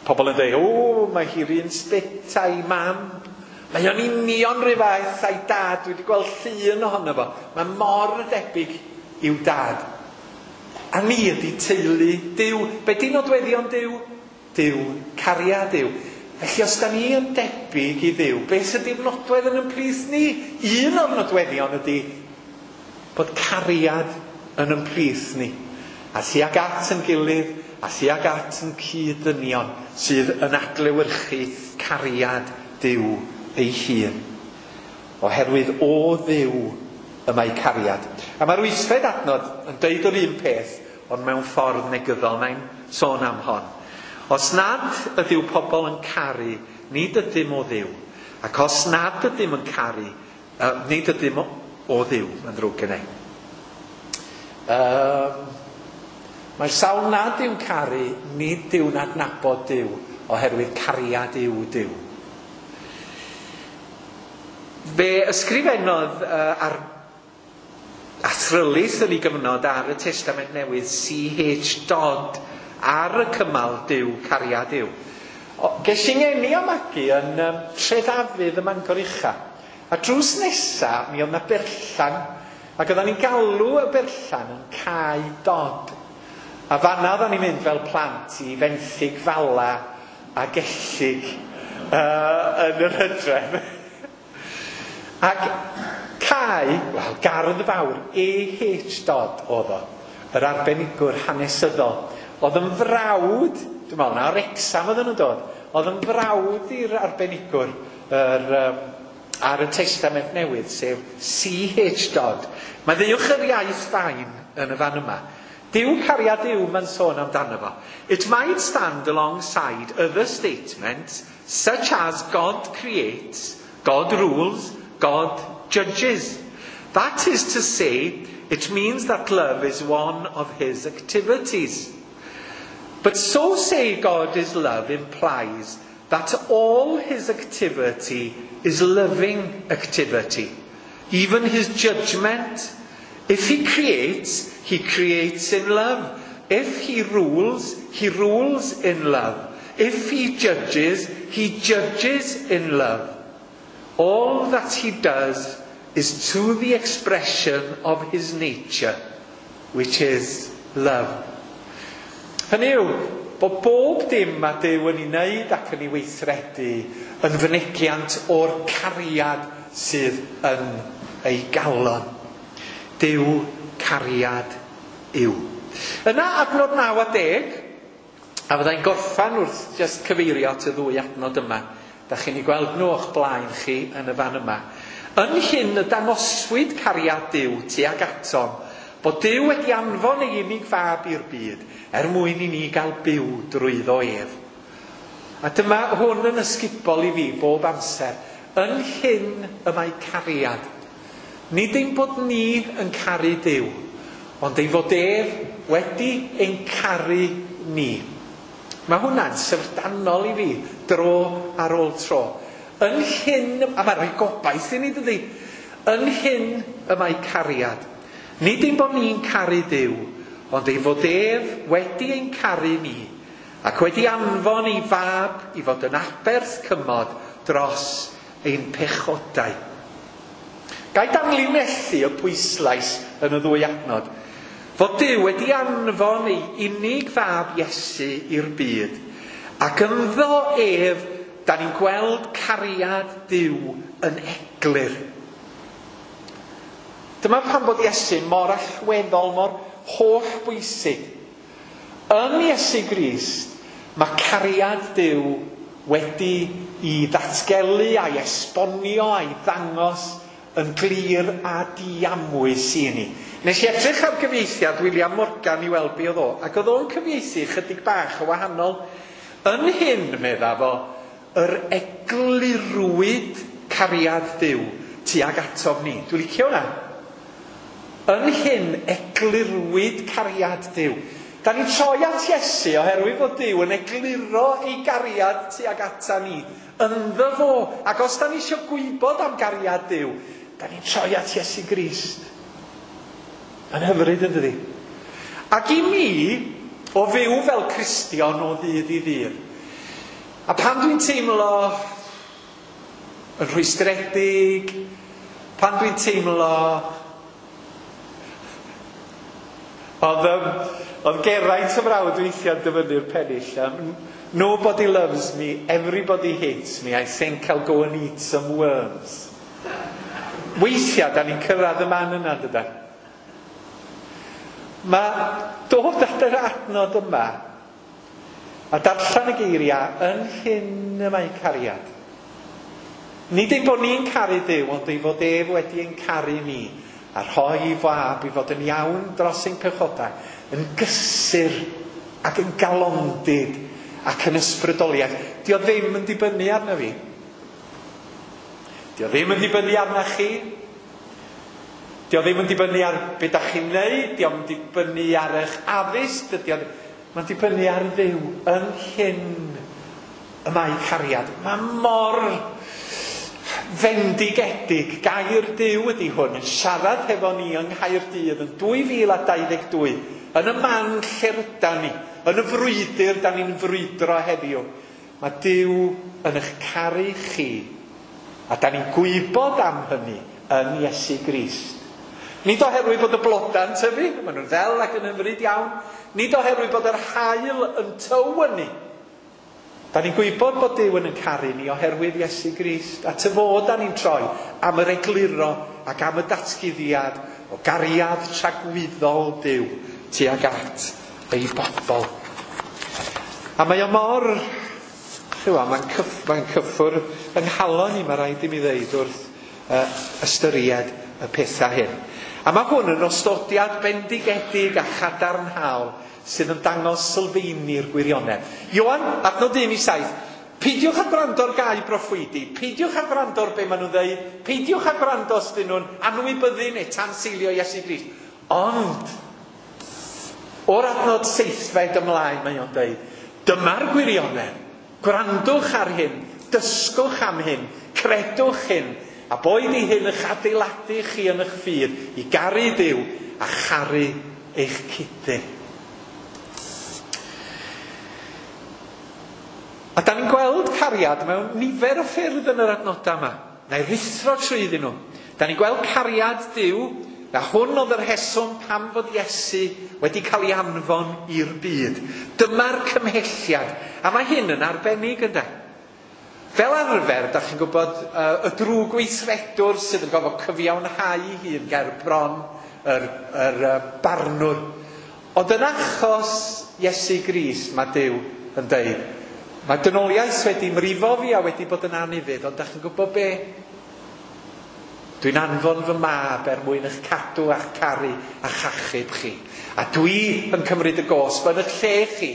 Pobl yn dweud, o, mae hi'r un sbit a'i mam. Mae o'n union rhyw fath a'i dad. Dwi wedi gweld llun ohono fo. Mae mor debyg i'w dad. A ni ydy teulu Duw. Be di nodweddion Duw? Duw, cariad Duw. Felly os da ni yn debyg i Dduw, beth ydy'r nodwedd yn ymplith ni? Un o'r nodweddion ydy bod cariad yn ymplith ni. A thuag at yn gilydd, a thuag at yn cyd-ddynion sydd yn adlewyrchu cariad Duw ei hun. Oherwydd o Dduw y mae cariad. A mae'r wythfed adnod yn deud yr un peth, ond mewn ffordd negyddol. Mae'n sôn am hon. Os nad ydyw pobl yn caru, nid ydym o Dduw. Ac os nad ydym yn caru, nid ydym o Dduw, mae'n ddrwg gen i. Mae'r sawl nad yw'n caru, nid yw'n adnabod Duw, oherwydd cariad yw Duw. Fe ysgrifennodd ar athrylith yn ei gyfnod ar y Testament Newydd, C.H. Dodd, ar y cymal Duw, cariad yw. Ges i ngeni a magu yn Treddafydd ym Mangor Ucha. A drws nesa, mi oedd 'na berllan, ac oeddan ni'n galw y berllan yn Cae Dodd. A fanna oeddan ni'n mynd fel plant i fenthyg fala a gellyg yn yr hydref. Ac cae, wel, gardd fawr, A.H. Dodd oedd o, yr arbenigwr hanesyddol. Oedd yn frawd, dwi'n meddwl na, o'r Wrecsam oedden nhw'n dod, oedd yn frawd i'r arbenigwr ar y Testament Newydd, sef C.H. Dodd. Mae ddeuwch yr iaith fain yn y fan yma. Duw cariad yw, mae'n sôn amdano fo. It might stand alongside other statements such as God creates, God rules, God judges. That is to say, it means that love is one of his activities. But so say God is love implies that all his activity is loving activity. Even his judgment. If he creates, he creates in love. If he rules, he rules in love. If he judges, he judges in love. All that he does is to the expression of his nature, which is love. Hynny yw, bod bob dim mae Duw yn ei wneud ac yn ei weithredu yn fynegiant o'r cariad sydd yn ei galon. Duw cariad yw. Yna adnod 9 a 10, a fyddai'n gorffan wrth just cyfeirio at y ddwy adnod yma. Da chi'n ei gweld nhw o'ch blaen chi yn y fan yma. Yn hyn y dangoswyd cariad Duw tuag atom, bod Duw wedi anfon ei unig fab i'r byd er mwyn i ni gael byw drwyddo ef. A dyma hwn yn ysgubol i fi bob amser. Yn hyn y mae cariad. Nid ein bod ni yn caru Duw, ond ei fod ef wedi ein caru ni. Mae hwnna'n syfrdanol i fi, dro ar ôl tro. Yn hyn, a mae'n rhoi gobaith i ni, dydy? Yn hyn y mae cariad. Nid ein bod ni'n caru Duw, ond ei fod ef wedi ein caru ni, ac wedi anfon ei fab i fod yn aberth cymod dros ein pechodau. Gai danlinellu y pwyslais yn y ddwy adnod. Fod Duw wedi anfon ei unig fab Iesu i'r byd, ac ynddo ef, da ni'n gweld cariad Duw yn eglur. Dyma pam bod Iesu mor allweddol, mor holl bwysig. Yn Iesu Grist, mae cariad Duw wedi i ddatgelu a'i esbonio a'i ddangos yn glir a diamwys i ni. Nes i edrych ar gyfieithiad William Morgan i weld be oedd o, ac oedd o'n cyfieithu chydig bach o wahanol. Yn hyn, medda fo, yr eglurwyd cariad Duw tuag atom ni. Dwi'n licio hwnna. Yn hyn, eglurwyd cariad Duw. Da ni'n troi at Iesu oherwydd fod Duw yn egluro ei gariad tuag ata ni. Ynddo fo. Ac os da ni eisiau gwybod am gariad Duw, da ni'n troi at Iesu Grist. Mae'n hyfryd yn dydi? Ac i mi, o fyw fel Cristion o ddydd i ddydd, a pan dwi'n teimlo yn rhwystredig, pan dwi'n teimlo... Oedd Geraint y mrawd weithiau'n dyfynnu'r pennill. Nobody loves me, everybody hates me, I think I'll go and eat some worms. Weithiau, da ni'n cyrraedd y man yna, dydan? Mae dod at yr adnod yma a darllen y geiriau yn hyn y mae cariad. Nid ein bod ni'n caru Duw, ond ei fod ef wedi ein caru ni a rhoi ei fab i fod yn iawn dros ein pechodau, yn gysur ac yn galondid ac yn ysbrydoliaeth. Dio ddim yn dibynnu arna fi. Dio ddim yn dibynnu arna chi. Dio ddim yn dibynnu ar be da chi'n neud, dio yn dibynnu ar eich addysg, dydy o mae'n dibynnu ar Dduw yn hyn y mae cariad. Mae mor fendigedig, gair Duw ydy hwn, yn siarad hefo ni yng Nghaerdydd yn 2022, yn y man lle rydan ni, yn y frwydr da ni'n frwydro heddiw. Mae Duw yn eich caru chi, a da ni'n gwybod am hynny yn Iesu Grist. Nid oherwydd bod y blodau'n tyfu, maen nhw'n ddel ac yn hyfryd iawn. Nid oherwydd bod yr haul yn tywynnu. Da ni'n gwybod bod Duw yn caru ni oherwydd Iesu Grist. A tyfod da ni'n troi am yr egluro ac am y datguddiad o gariad tragwyddol Duw tuag at ei bobl. A mae o mor... Mae'n cyffwrdd yng nghalon i, mae rhaid i mi ddeud wrth ystyried y pethau hyn. A mae hwn yn ostodiad bendigedig a chadarnhaol sydd yn dangos sylfeini'r gwirionedd. Ioan, adnod 1-7, peidiwch â gwrando ar gau broffwydi, peidiwch â gwrando ar be maen nhw'n dweud, peidiwch â gwrando os dyn nhw'n anwybyddu neu tanseilio Iesu Grist. Ond, o'r adnod 7 ymlaen mae o'n dweud, dyma'r gwirionedd, gwrandwch ar hyn, dysgwch am hyn, credwch hyn, a boed i hyn eich adeiladu chi yn eich ffydd i garu Duw a charu eich cydyn. A da ni'n gweld cariad mewn nifer o ffyrdd yn yr adnodau yma. Na i ruthro trwyddyn nhw. Da ni'n gweld cariad Duw, a hwn oedd yr rheswm pam fod Iesu wedi cael ei anfon i'r byd. Dyma'r cymhelliad. A mae hyn yn arbennig, ynde? Fel arfer, da chi'n gwybod, y drwg weithredwr sydd yn gofod cyfiawnhau ei hun ger bron yr barnwr. Ond yn achos Iesu Grist, mae Duw yn deud, mae dynoliaeth wedi mrifo fi a wedi bod yn anufudd, ond da chi'n gwybod be? Dwi'n anfon fy mab er mwyn eich cadw a'ch caru a'ch achub chi. A dwi yn cymryd y gosb yn eich lle chi.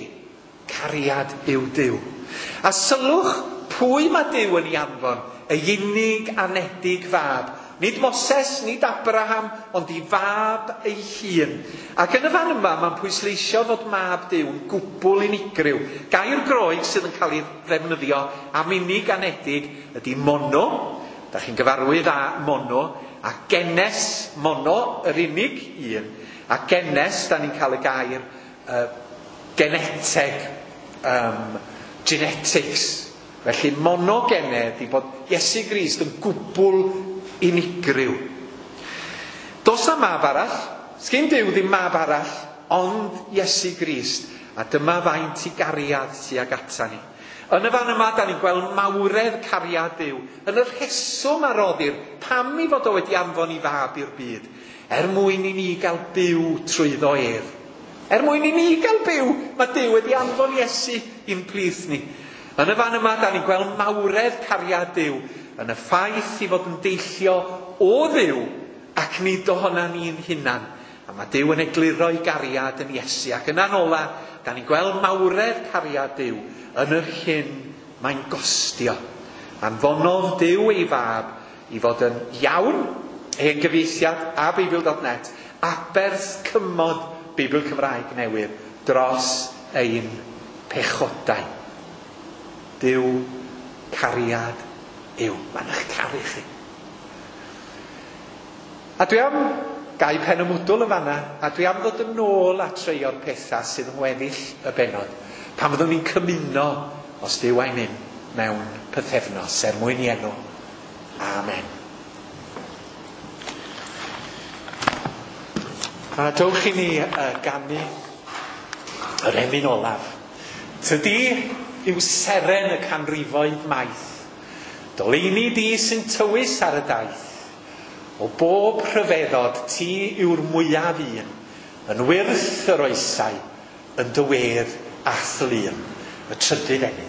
Cariad yw Duw. A sylwch pwy mae Duw yn ei anfon? Ei unig anedig fab. Nid Moses, nid Abraham, ond ei fab ei hun. Ac yn y fan yma, mae'n pwysleisio fod mab Duw yn gwbl unigryw. Gair Groeg sydd yn cael ei ddefnyddio am unig anedig ydy mono. Da chi'n gyfarwydd â mono. A genes mono, yr unig un. A genes, da ni'n cael y gair geneteg, genetics. Felly monogenedd i bod Iesu Grist yn gwbl unigryw. Does na mab arall, sgin Duw ddim mab arall, ond Iesu Grist. A dyma faint i gariad tuag ata ni. Yn y fan yma, da ni'n gweld mawredd cariad Duw, yn y rheswm a roddir, pam i fod o wedi anfon i fab i'r byd, er mwyn i ni gael byw trwyddo ef. Er mwyn i ni gael byw, mae Duw wedi anfon Iesu i'n plith ni. Yn y fan yma, da ni'n gweld mawredd cariad Duw, yn y ffaith i fod yn deillio o Dduw ac nid ohona ni'n hunan. A mae Duw yn egluro ei gariad yn Iesu. Ac yna'n ola, da ni'n gweld mawredd cariad Duw yn yr hyn mae'n gostio. Anfonodd Duw ei fab i fod yn iawn, hen gyfieithiad a Beibl.net, aberth cymod Beibl Cymraeg newydd dros ein pechodau. Duw cariad yw. Mae'n eich caru chi. A dwi am gau pen y mwdwl yn fanna, a dwi am ddod yn ôl at rhai o'r pethau sydd yn weddill y bennod. Pan fyddwn ni'n cymuno, os Duw a'i myn, mewn pythefnos, er mwyn i enw. Amen. A dowch i ni ganu yr emyn olaf. Tydi yw seren y canrifoedd maith. Doleini di sy'n tywys ar y daith. O bob rhyfeddod ti yw'r mwyaf un, yn wyrth yr oesau, yn dy wedd a thlun. Y trydydd emyn.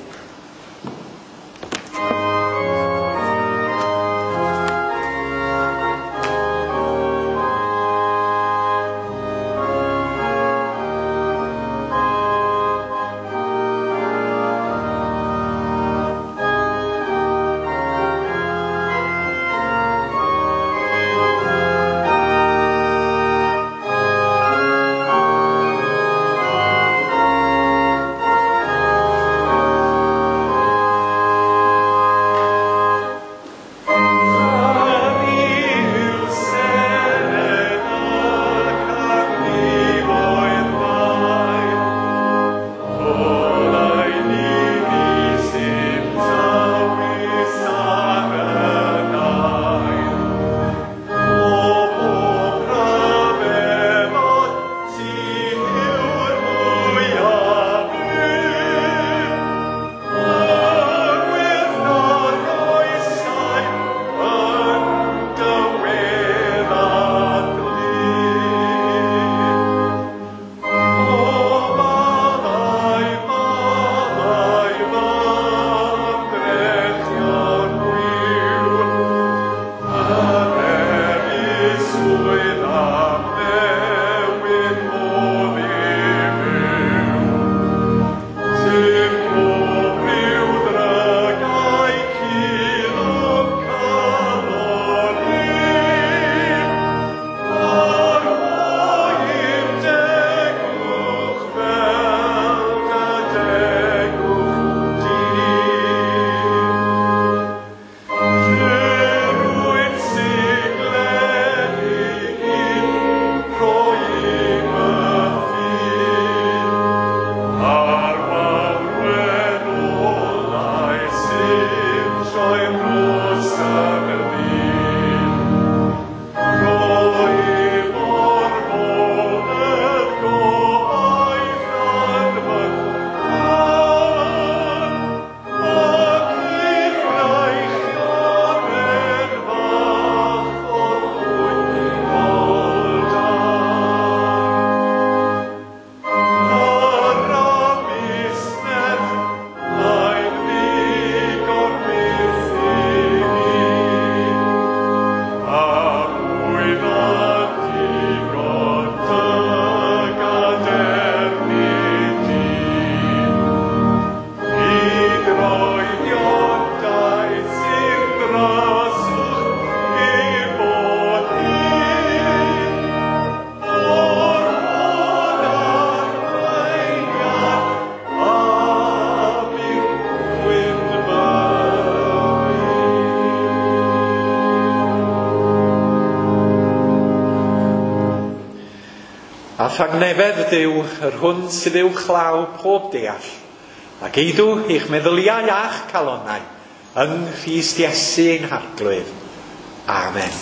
Ddisgwyl am newid modd i fyw. Dim pob rhyw dragau cul o'm calon i, a rhoi'r degwch fel dy degwch di. Rwy'n sigledig i'n rhoi fy ffydd, a'r wawr wen olau sy'n troi'r nos yn ddydd. Rhoi morfoledd gobaith yn fy nghan, ac i'r wreichion fach o'r ddwyfol dan. Yr amusnet mae'n ddigon byth i mi, a mwy na digon dy gadernid di. I droedion daith sy'n draswch i bod hyn, o'r hon arweiniad a byw gwyn fydd. A thangnefedd Duw, yr hwn sydd uwchlaw pob deall, ac eidw eich meddyliau a'ch calonnau, yng Nghrist Iesu ein Harglwydd. Amen.